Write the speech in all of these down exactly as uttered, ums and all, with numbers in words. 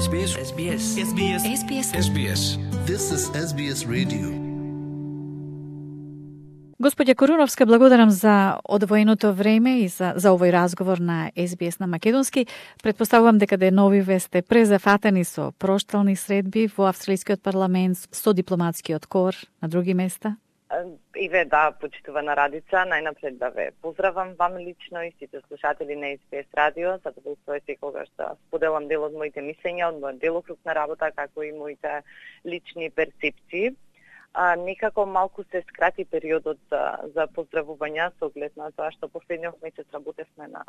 Ес Би Ес. Ес Би Ес. Ес Би Ес. Ес Би Ес. Ес Би Ес. This is Ес Би Ес Radio. Господја Коруновска, благодарам за одвоеното време и за, за овој разговор на Ес Би Ес на македонски. Предпоставувам дека деновиве сте презафатени со проштални средби во австралискиот парламент, со дипломатскиот кор на други места. Иве, да, почитувана Радица, најнапред да ве поздравам вам лично и сите слушатели на Ес Би Ес радио. Задоволство е секогаш да споделам дел од моите мислења, од мојот делокруг на работа, како и моите лични перцепции. А, некако малку се скрати периодот за, за поздравувања со оглед на тоа што последниот месец работевме на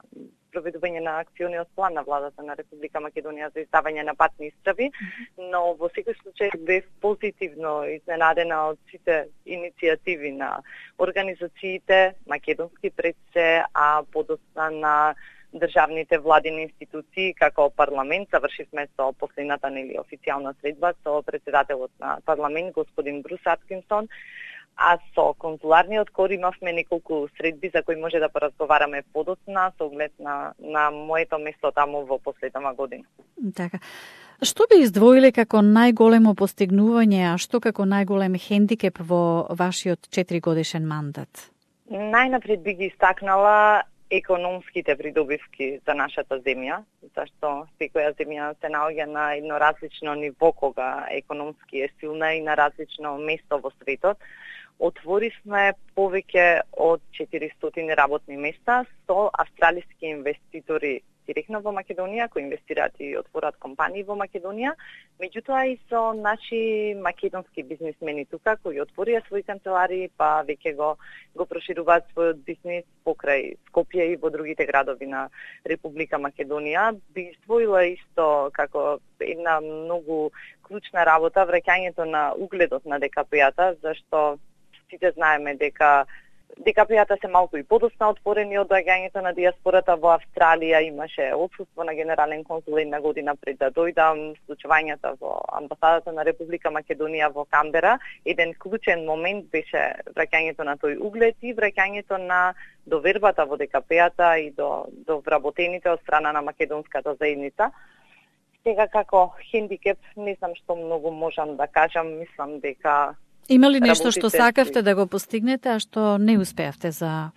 проведување на акциониот план на владата на Република Македонија за издавање на патни исправи, но во секој случај бев позитивно изненадена од сите иницијативи на организациите македонски пред се, а подоцна на државните владини институции, како парламент. Завршивме со последната нели официјална средба со председателот на парламент господин Брус Аткинсон, а со консуларниот кор имавме неколку средби за кои може да поразговараме подоцна со оглед на на моето место таму во последната година. Така. Што би издвоиле како најголемо постигнување, а што како најголем хендикеп во вашиот четиригодишен мандат? Најнапред би ги истакнала економските придобивки за нашата земја, зашто секоја земја се наоѓа на едно различно ниво кога економски е силна и на различно место во светот. Отворивме повеќе од четиристотини работни места со австралиски инвеститори директно во Македонија, кои инвестираат и отворат компании во Македонија, меѓутоа и со наши македонски бизнисмени тука, кои отворија своји канцеларии, па веќе го, го прошируваат својот бизнис покрај Скопје и во другите градови на Република Македонија. Би издвоила исто како една многу клучна работа враќањето на угледот на Де Ка Пе-ата, зашто сите знаеме дека Де Ка Пе-ата се малку и подоцна отворени од доаѓањето на диаспората во Австралија. Имаше отсуство на генерален консул една година пред да дојдам, случувањата во амбасадата на Република Македонија во Камбера. Еден клучен момент беше враќањето на тој углед и враќањето на довербата во Де Ка Пе-ата и до, до вработените од страна на македонската заедница. Сега како хендикеп, не знам што многу можам да кажам, мислам дека има ли нешто што сакавте да го постигнете, а што не успеавте за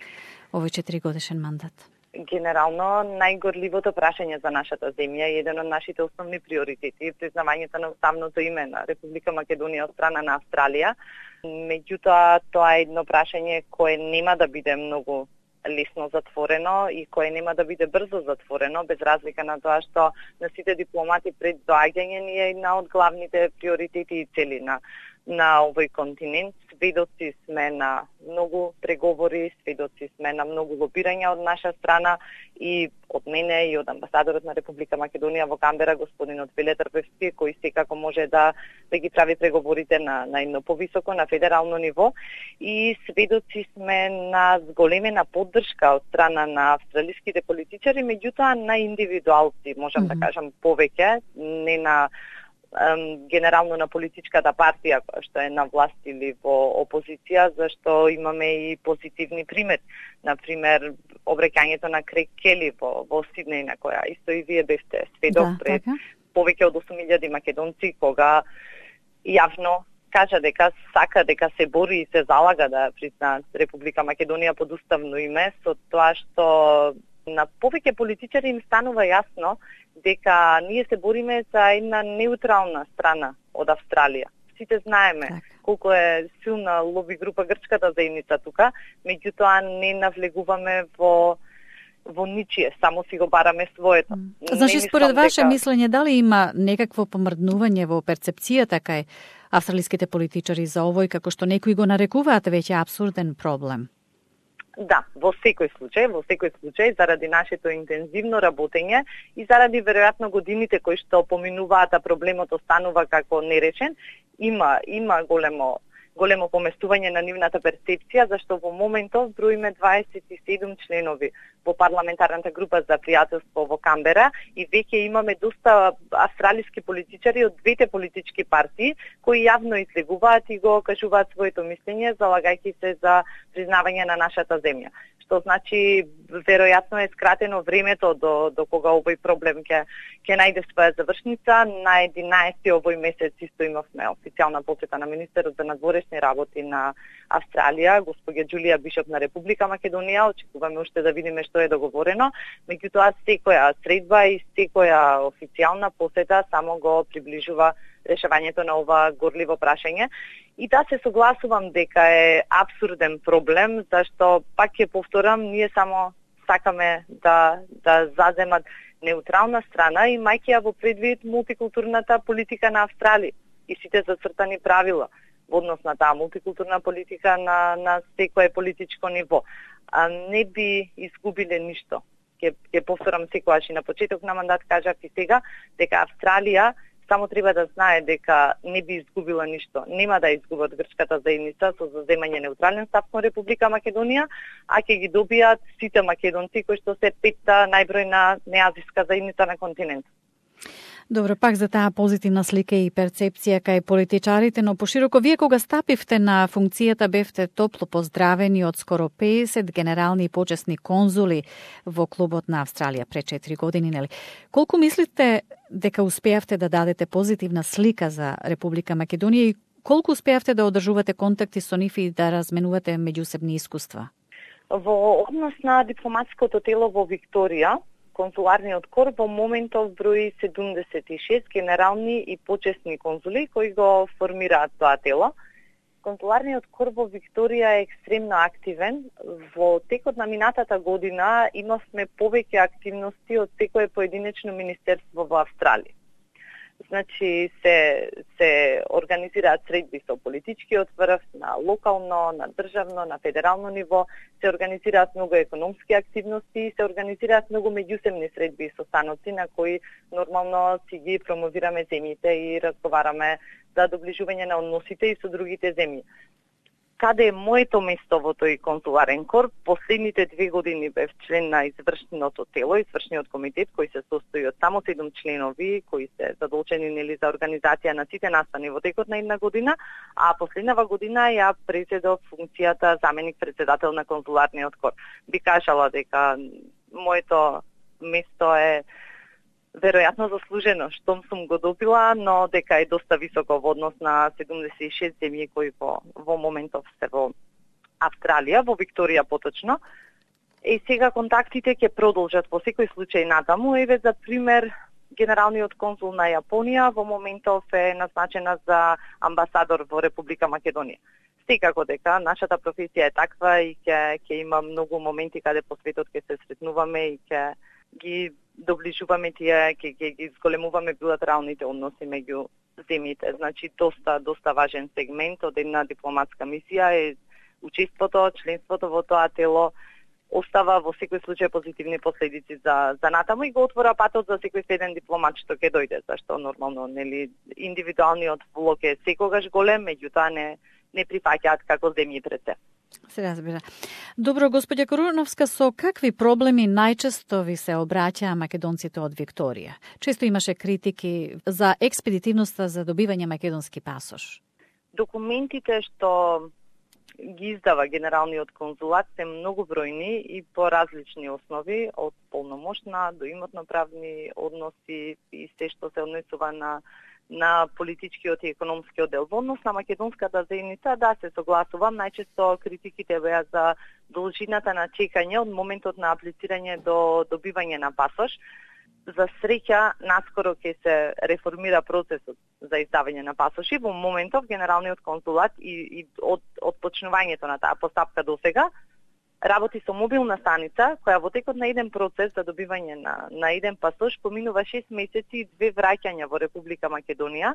овој четиригодишен мандат? Генерално, најгорливото прашање за нашата земја е еден од нашите основни приоритети, признавањето на уставното име на Република Македонија од страна на Австралија. Меѓутоа, тоа е едно прашање кое нема да биде многу лесно затворено и кое нема да биде брзо затворено, без разлика на тоа што на сите дипломати пред доаѓање ни е една од главните приоритети и цели на на овој континент. Сведоци сме на многу преговори, сведоци сме на многу лобирања од наша страна и од мене и од амбасадорот на Република Македонија во Камбера, господинот Веле Трпевски, кој секако може да, да ги прави преговорите на, на едно повисоко, на федерално ниво. И сведоци сме на зголемена поддршка од страна на австралиските политичари, меѓутоа на индивидуалци, можам mm-hmm. да кажам повеќе, не на генерално на политичката партија која што е на власт или во опозиција, зашто имаме и позитивни примери. Например, обраќањето на Крейг Кели во, во Сиднеј, на која исто и вие бевте сведок да, пред така. Повеќе од осум илјади македонци, кога јавно кажа дека сака, дека се бори и се залага да призна Република Македонија под уставно име, со тоа што на повеќе политичари им станува јасно дека ние се бориме за една неутрална страна од Австралија. Сите знаеме так. колку е силна лоби група грчката заедница тука, меѓутоа не навлегуваме во во ничие, само си го бараме своето. Mm. Значи, според ваше дека... мислење, дали има некакво помрднување во перцепцијата кај австралиските политичари за овој, како што некои го нарекуваат веќе абсурден проблем? Да, во секој случај, во секој случај, заради нашето интензивно работење и заради веројатно годините кои што поминуваат, а проблемот останува како нерешен, има има големо големо поместување на нивната перцепција, зашто во моментов броиме дваесет и седум членови во парламентарната група за пријателство во Камбера и веќе имаме доста австралиски политичари од двете политички партии кои јавно излегуваат и го кажуваат своето мислење, залагајќи се за признавање на нашата земја. Што значи веројатно е скратено времето до до кога овој проблем ќе ќе најде своја завршница. На единаесети овој месец исто имавме официјална посета на министерот за надворешни работи на Австралија, госпоѓа Џулија Бишоп на Република Македонија. Очекуваме уште да видиме што е договорено. Меѓутоа секоја средба и секоја официјална посета само го приближува решавањето на ова горливо прашање. И да се согласувам дека е апсурден проблем, зашто пак ќе повторам, ние само сакаме да да заземат неутрална страна и мајќи ја во предвид мултикултурната политика на Австралија и сите зацртани правила во однос на таа мултикултурна политика на на секое политичко ниво. А не би изгубиле ништо. Ќе ќе повторам секогаш и на почеток на мандат кажав и сега дека Австралија само треба да знае дека не би изгубила ништо. Нема да изгубат грчката заедница со заземање неутрален став кон Република Македонија, а ќе ги добијат сите македонци кои што се петта најбројна неазиска заедница на континентот. Добро, пак за таа позитивна слика и перцепција кај политичарите, но пошироко вие кога стапивте на функцијата бевте топло поздравени од скоро педесет генерални и почесни конзули во клубот на Австралија пред четири години, нели? Колку мислите дека успеавте да дадете позитивна слика за Република Македонија и колку успеавте да одржувате контакти со нив и да разменувате меѓусебни искуства? Во однос на дипломатското тело во Викторија, консуларниот кор во моментов брои седумдесет и шест генерални и почесни конзули кои го формираат тоа тело. Консуларниот кор во Викторија е екстремно активен. Во текот на минатата година имавме повеќе активности од секое поединечно министерство во Австралија. Значи се се организираат средби со политичкиот врв на локално, на државно, на федерално ниво, се организираат многу економски активности и се организираат многу меѓусебни средби и состаноци на кои нормално си ги промовираме земјите и разговараме за доближување на односите и со другите земји. Каде е моето место во тој консуларен кор? Последните две години бев член на извршното тело, извршниот комитет, кој се состои од само седум членови, кои се задолжени нели за организација на сите настани во текот на една година, а последнава година ја преседов функцијата заменик председател на консуларниот кор. Би кажала дека моето место е веројатно заслужено, штом сум го добила, но дека е доста високо во однос на седумдесет и шест земји кои во, во моментов се во Австралија, во Викторија поточно. И сега контактите ќе продолжат во секој случај натаму. Еве за пример, генералниот консул на Јапонија во моментов е назначена за амбасадор во Република Македонија. Секако дека нашата професија е таква и ќе ќе има многу моменти каде по светот ќе се сретнуваме и ќе ги доближуваме тие, ќе ги зголемуваме билатералните односи меѓу земјите. Значи доста доста важен сегмент од една дипломатска мисија е учеството, членството во тоа тело остава во секој случај позитивни последици за за натаму и го отвора патот за секој следен дипломат што ќе дојде, зашто нормално нели индивидуалниот влог е секогаш голем, меѓутоа не не прифаќаат како земји пред се. Се разбира. Добро, господја Коруновска, со какви проблеми најчесто ви се обраќаа македонците од Викторија? Често имаше критики за експедитивноста за добивање македонски пасош. Документите што ги издава генералниот конзулат се многу бројни и по различни основи, од полномошна до имотно-правни односи и се што се однесува на на политичкиот и економскиот дел. Во однос на македонската заедница, да, се согласувам, најчесто критиките беа за должината на чекање од моментот на аплицирање до добивање на пасош. За среќа, наскоро ќе се реформира процесот за издавање на пасоши. Во моментов генералниот консулат и, и од, од почнувањето на таа постапка до сега работи со мобилна станица, која во текот на еден процес за добивање на, на еден пасош поминува шест месеци и две враќања во Република Македонија,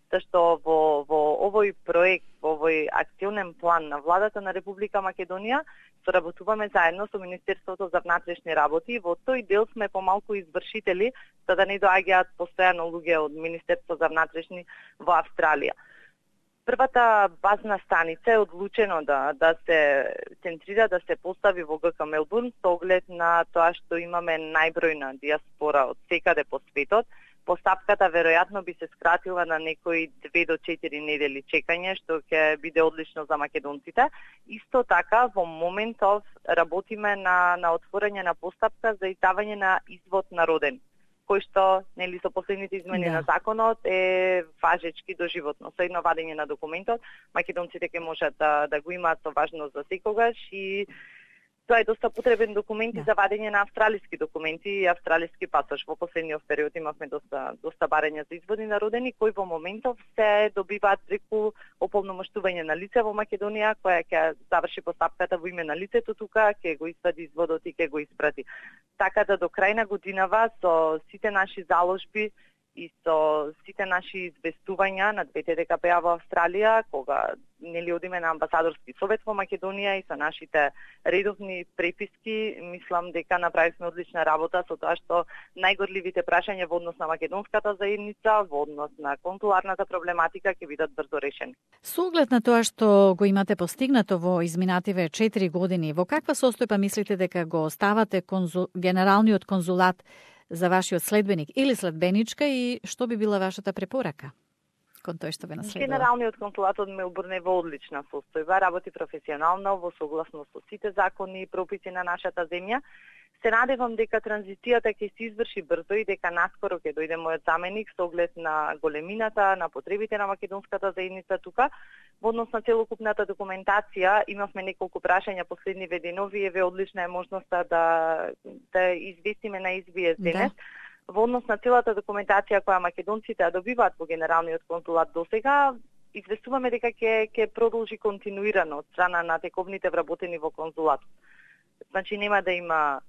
зашто во, во овој проект, во овој акционен план на владата на Република Македонија, соработуваме заедно со Министерството за внатрешни работи и во тој дел сме помалку извршители, за да не доаѓаат постојано луѓе од Министерство за внатрешни во Австралија. Првата базна станица е одлучено да да се центрира, да се постави во ГК Мелбурн со оглед на тоа што имаме најбројна диаспора од секаде по светот. Постапката веројатно би се скратила на некои две до четири недели чекање, што ќе биде одлично за македонците. Исто така, во моментов работиме на на отворање на постапка за издавање на извод на роден, кој што, нели, со последните измени Да. на законот е важечки доживотно. Со едно вадење на документот, македонците ќе можат да да го имаат со важност за секогаш и тоа е доста потребен документ и Да. за вадење на австралиски документи и австралиски пасош. Во последниот период имавме доста доста барања за изводи на родени кои во моментов се добиваат преку ополномоштување на лице во Македонија, која ќе заврши постапката во име на лицето тука, ќе го извади изводот и ќе го испрати. Така да до крај на годинава со сите наши заложби и со сите наши известувања на двете Д К П-а во Австралија, кога нели одиме на амбасадорски совет во Македонија и со нашите редовни преписки, мислам дека направивме одлична работа со тоа што најгорливите прашања во однос на македонската заедница, во однос на консуларната проблематика ќе бидат брзо решени. Со оглед на тоа што го имате постигнато во изминативе четири години, во каква состојба мислите дека го оставате конзул... генералниот конзулат за вашиот следбеник или следбеничка и што би била вашата препорака кон тој што ве наследува? Генералниот консулат од Мелбурн е во одлична состојба, работи професионално во согласно со сите закони и прописи на нашата земја. Се надевам дека транзицијата ќе се изврши брзо и дека наскоро ќе дојде мојот заменик со оглед на големината, на потребите на македонската заедница тука. Во однос на целокупната документација имавме неколку прашања последниве денови, еве одлична е можноста да да известиме на Ес Би Ес денес. Да. Во однос на целата документација која македонците ја добиваат во генералниот консулат досега, известуваме дека ќе ќе продолжи континуирано од страна на тековните вработени во консулатот. Значи нема да има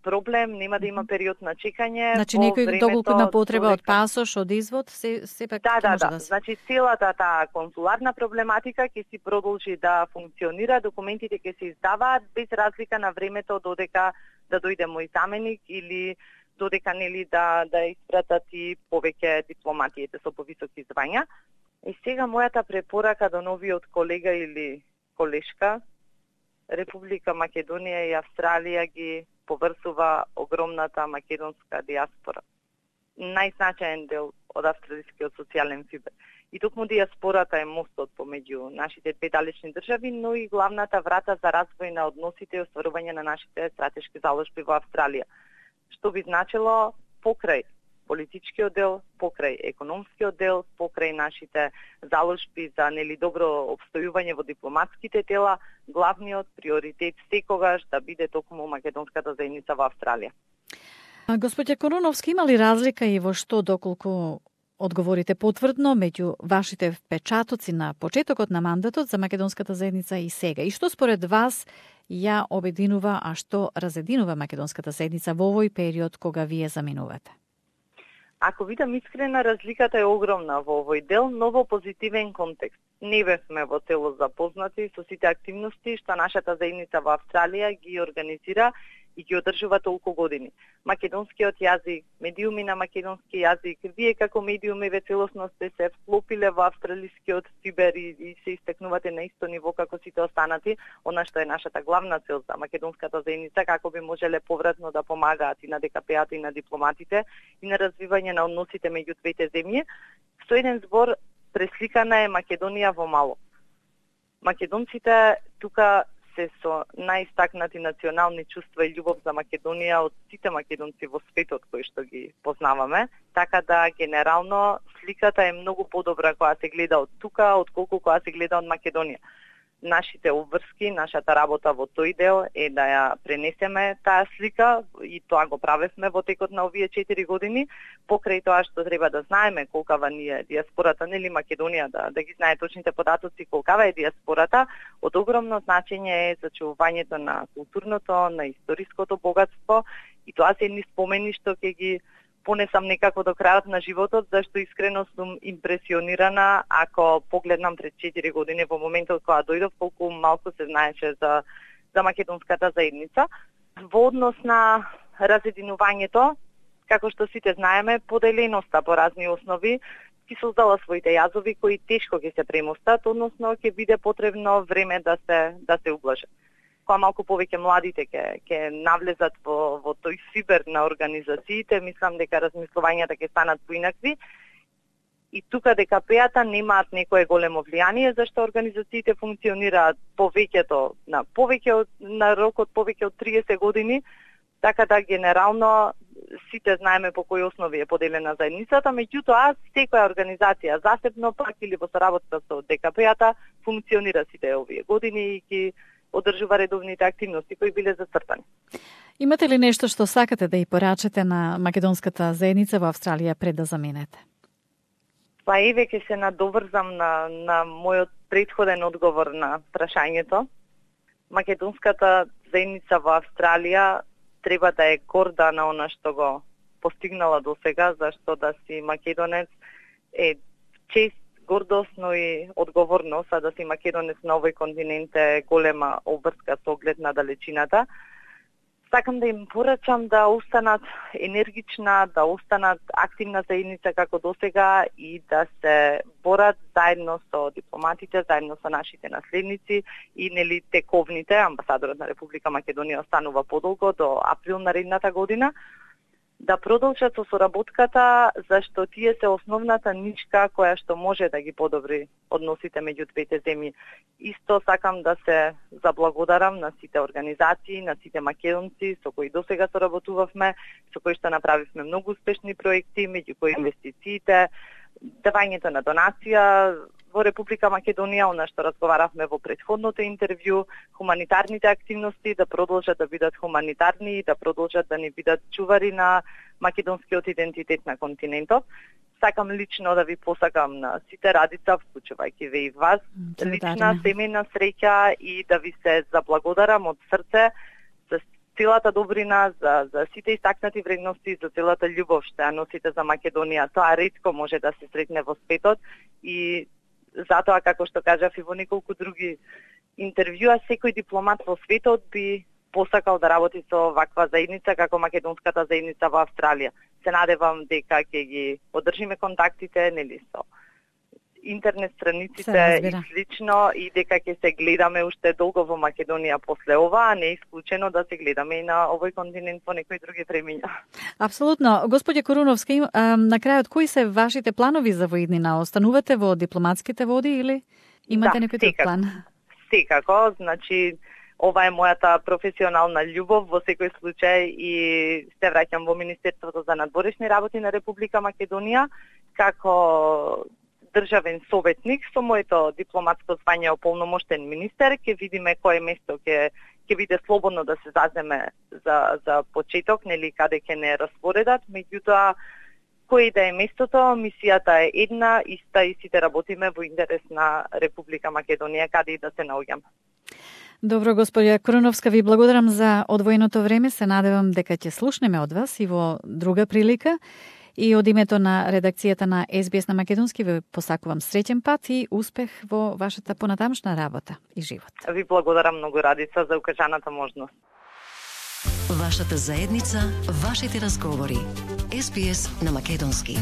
проблем, нема да има период на чекање. Значи некој доколку има потреба од пасош, од извод, се сепак да, да, може да, да се. Значи целата таа консуларна проблематика ќе си продолжи да функционира, документите ќе се издаваат без разлика на времето додека да дојде мој заменик или додека нели да да испратат и повеќе дипломатиите со повисоки звања. И сега мојата препорака до новиот колега или колешка, Република Македонија и Австралија ги поврзува огромната македонска диаспора. Најзначаен дел од австралискиот социјален фибер. И токму диаспората е мостот помеѓу нашите две далечни држави, но и главната врата за развој на односите и остварување на нашите стратешки заложби во Австралија. Што би значило покрај политичкиот дел, покрај економскиот дел, покрај нашите заложби за нели добро обстојување во дипломатските тела, главниот приоритет секогаш да биде токму македонската заедница во Австралија. Господје Коруновски, има ли разлика и во што доколку одговорите потврдно меѓу вашите впечатоци на почетокот на мандатот за македонската заедница и сега? И што според вас ја обединува, а што разединува македонската заедница во овој период кога вие заминувате? Ако видам искрена, разликата е огромна во овој дел, но во позитивен контекст. Не бевме во целост запознати со сите активности што нашата заедница во Австралија ги организира и ги одржува толку години. Македонскиот јазик, медиуми на македонски јазик, вие како медиуми ве целосно сте се вклопиле во австралискиот фибер и, и се истекнувате на исто ниво како сите останати, она што е нашата главна цел за македонската заедница, како би можеле повратно да помагаат и на Д К П-ата и на дипломатите и на развивање на односите меѓу двете земји. Со еден збор пресликана е Македонија во мало. Македонците тука се со најистакнати национални чувства и љубов за Македонија од сите македонци во светот кои што ги познаваме, така да генерално сликата е многу подобра кога се гледа од тука отколку кога се гледа од Македонија. Нашите обврски, нашата работа во тој дел е да ја пренесеме таа слика и тоа го правевме во текот на овие четири години, покрај тоа што треба да знаеме колкава ни е диаспората, нели Македонија, да, да ги знае точните податоци колкава е диаспората, од огромно значење е зачувувањето на културното, на историското богатство и тоа се едни спомени што ќе ги понесам некако до крајот на животот, зашто искрено сум импресионирана ако погледнам пред четири години во моментот кога дојдов, колку малку се знаеше за, за македонската заедница. Во однос на разединувањето, како што сите знаеме, поделеноста по разни основи ќе создала своите јазови кои тешко ќе се премостат, односно ќе биде потребно време да се да се ублажат. Кога малку повеќе младите ќе ќе навлезат во во тој фибер на организациите, мислам дека размислувањата ќе станат поинакви. И тука Д К П-ата немаат некое големо влијание, зашто организациите функционираат повеќето на повеќе на рок од повеќе од триесет години, така да генерално сите знаеме по кои основи е поделена заедницата, меѓутоа секоја организација засебно пак или во соработка со Д К П-ата функционира сите овие години и ги одржува редовните активности кои биле зацртани. Имате ли нешто што сакате да и порачате на македонската заедница во Австралија пред да заменете? Па еве ќе се надоврзам на на мојот претходен одговор на прашањето. Македонската заедница во Австралија треба да е горда на она што го постигнала до сега, зашто да си македонец е чест, гордост, но и одговорност, а да си македонец на овој континент е голема обврска со оглед на далечината. Сакам да им порачам да останат енергична, да останат активна заедница како досега и да се борат заедно со дипломатите, заедно со нашите наследници и нели тековните. Амбасадорот на Република Македонија останува подолго до април наредната година, да продолжат со соработката, зашто тие се основната нишка која што може да ги подобри односите меѓу двете земји. Исто сакам да се заблагодарам на сите организации, на сите македонци со кои досега соработувавме, со кои што направивме многу успешни проекти, меѓу кои инвестициите, давањето на донација во Република Македонија, она што разговаравме во претходното интервју, хуманитарните активности да продолжат да бидат хуманитарни и да продолжат да ни бидат чувари на македонскиот идентитет на континентот. Сакам лично да ви посакам на сите Радица, вклучувајќи ве и вас, лична семејна среќа и да ви се заблагодарам од срце за целата добрина, за, за сите истакнати вредности, за целата љубов што ја носите за Македонија. Тоа ретко може да се сретне во светот и затоа, како што кажав и во неколку други интервјуа, секој дипломат во светот би посакал да работи со ваква заедница како македонската заедница во Австралија. Се надевам дека ќе ги одржиме контактите, нели, со интернет страниците и слично и дека ќе се гледаме уште долго во Македонија после ова, а не исклучено да се гледаме и на овој континент во некои други времиња. Апсолутно. Господје Коруновска, на крајот, кои се вашите планови за во иднина? Останувате во дипломатските води или имате да, некој друг план? Секако, значи ова е мојата професионална љубов во секој случај и се враќам во Министерството за надворешни работи на Република Македонија како државен советник со моето дипломатско звање ополномоштен министер. Ќе видиме кое место ќе ќе биде слободно да се заземе за за почеток, нели каде ќе не распоредат, меѓутоа кој да е местото, мисијата е една, иста и сите работиме во интерес на Република Македонија каде и да се наоѓаме. Добро, господја Коруновска, ви благодарам за одвоеното време. Се надевам дека ќе слушнеме од вас и во друга прилика. И од името на редакцијата на Ес Би Ес на Македонски ви посакувам среќен пат и успех во вашата понатамшна работа и живот. Ви благодарам многу, Радица, за укажаната можност. Вашата заедница, вашите разговори. Ес Би Ес на Македонски.